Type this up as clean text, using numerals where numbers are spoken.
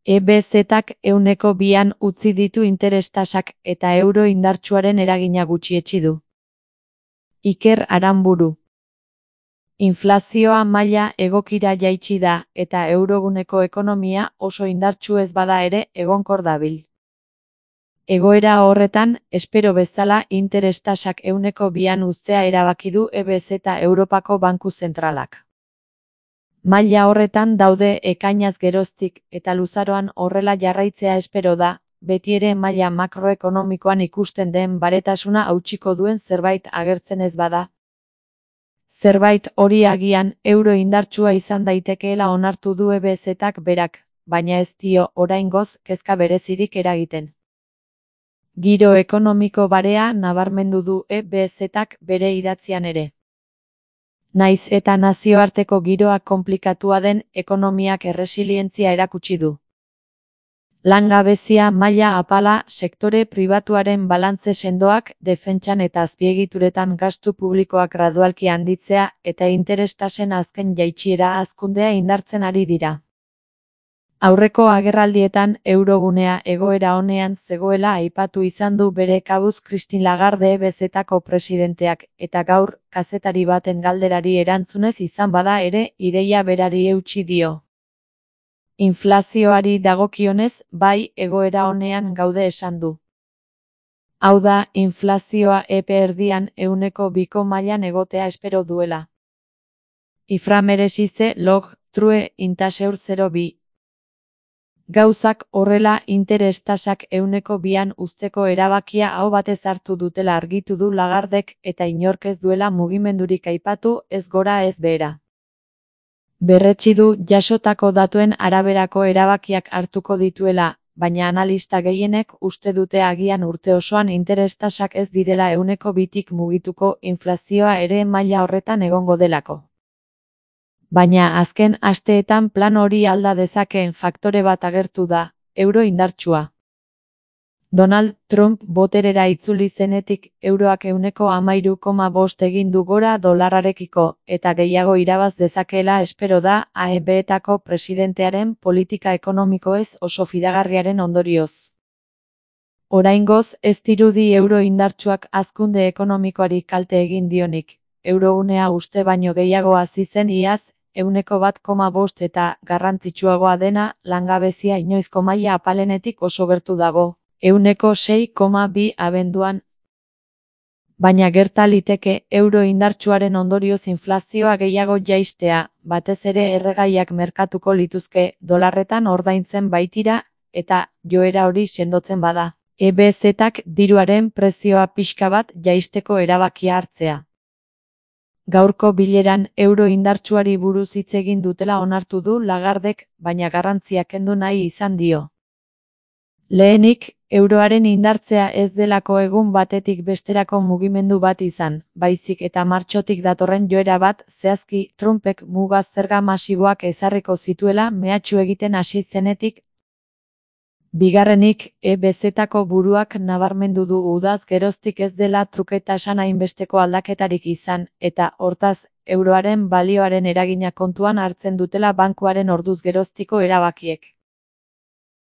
EBZ-ak 2an utzi ditu interes tasak eta euro indartsuaren eragina gutxietsi du. Iker Aranburu. Inflazioa maila egokira jaitsi da eta euroguneko ekonomia oso indartsu ez bada ere egonkor dabil. Egoera horretan, espero bezala interes tasak 2an uztea erabaki du EBZ Europako Banku Zentralak. Maila horretan daude ekainaz geroztik eta luzaroan horrela jarraitzea espero da, betiere maila makroekonomikoan ikusten den baretasuna hautsiko duen zerbait agertzen ez bada. Zerbait hori agian euro indartsua izan daitekeela onartu du EBZ-ak berak, baina ez dio oraingoz kezka berezirik eragiten. Giro ekonomiko barea nabarmendu du EBZ-ak bere idatzian ere. Naiz eta nazioarteko giroa konplikatua den, ekonomiak erresilientzia erakutsi du. Langabezia maila apala, sektore pribatuaren balantze sendoak, defentsan eta azpiegituretan gastu publikoak gradualki handitzea eta interes tasen azken jaitsiera hazkundea indartzen ari dira. Aurreko agerraldietan eurogunea egoera onean zegoela aipatu izan du bere kabuz Christine Lagarde EBZ-ako presidenteak eta gaur, kazetari baten galderari erantzunez izan bada ere, ideia berari eutsi dio. Inflazioari dagokionez, bai, egoera onean gaude esan du. Hau da, inflazioa epe erdian 2ko mailan egotea espero duela. Iframeresize log, true, intaseur 0,2. Gauzak horrela interes tasak 2an uzteko erabakia aho batez hartu dutela argitu du Lagardek eta inork ez duela mugimendurik aipatu, ez gora ez behera. Berretsi du jasotako datuen araberako erabakiak hartuko dituela, baina analista gehienek uste dute agian urte osoan interes tasak ez direla 2tik mugituko inflazioa ere maila horretan egongo delako. Baina azken asteetan plan hori alda dezakeen faktore bat agertu da, euro indartsua. Donald Trump boterera itzuli zenetik euroak 13,5 egin du gora dolarrarekiko eta gehiago irabaz dezakeela espero da AEB-etako presidentearen politika ekonomikoez oso fidagarriaren ondorioz. Oraingoz ez dirudi euro indartsuak hazkunde ekonomikoari kalte egin dionik, eurogunea uste baino gehiago hasi zen iaz, 1,5 eta garrantzitsuagoa dena, langabezia inoizko maila apalenetik oso gertu dago, 6,2 abenduan. Baina gerta liteke euro indartsuaren ondorioz inflazioa gehiago jaistea, batez ere erregaiak merkatuko lituzke dolarretan ordaintzen baitira eta joera hori sendotzen bada. EBZ-ak diruaren prezioa pixka bat jaisteko erabakia hartzea. Gaurko bileran euro indartsuari buruz hitz egin dutela onartu du Lagardek, baina garrantzia kendu nahi izan dio. Lehenik, euroaren indartzea ez delako egun batetik besterako mugimendu bat izan, baizik eta martxotik datorren joera bat, zehazki Trumpek muga zerga masiboak ezarriko zituela mehatxu egiten hasi zenetik. Bigarrenik, EBZ-ako buruak nabarmendu du udaz geroztik ez dela truke tasan hainbesteko aldaketarik izan, eta, hortaz, euroaren balioaren eragina kontuan hartzen dutela bankuaren orduz geroztiko erabakiek.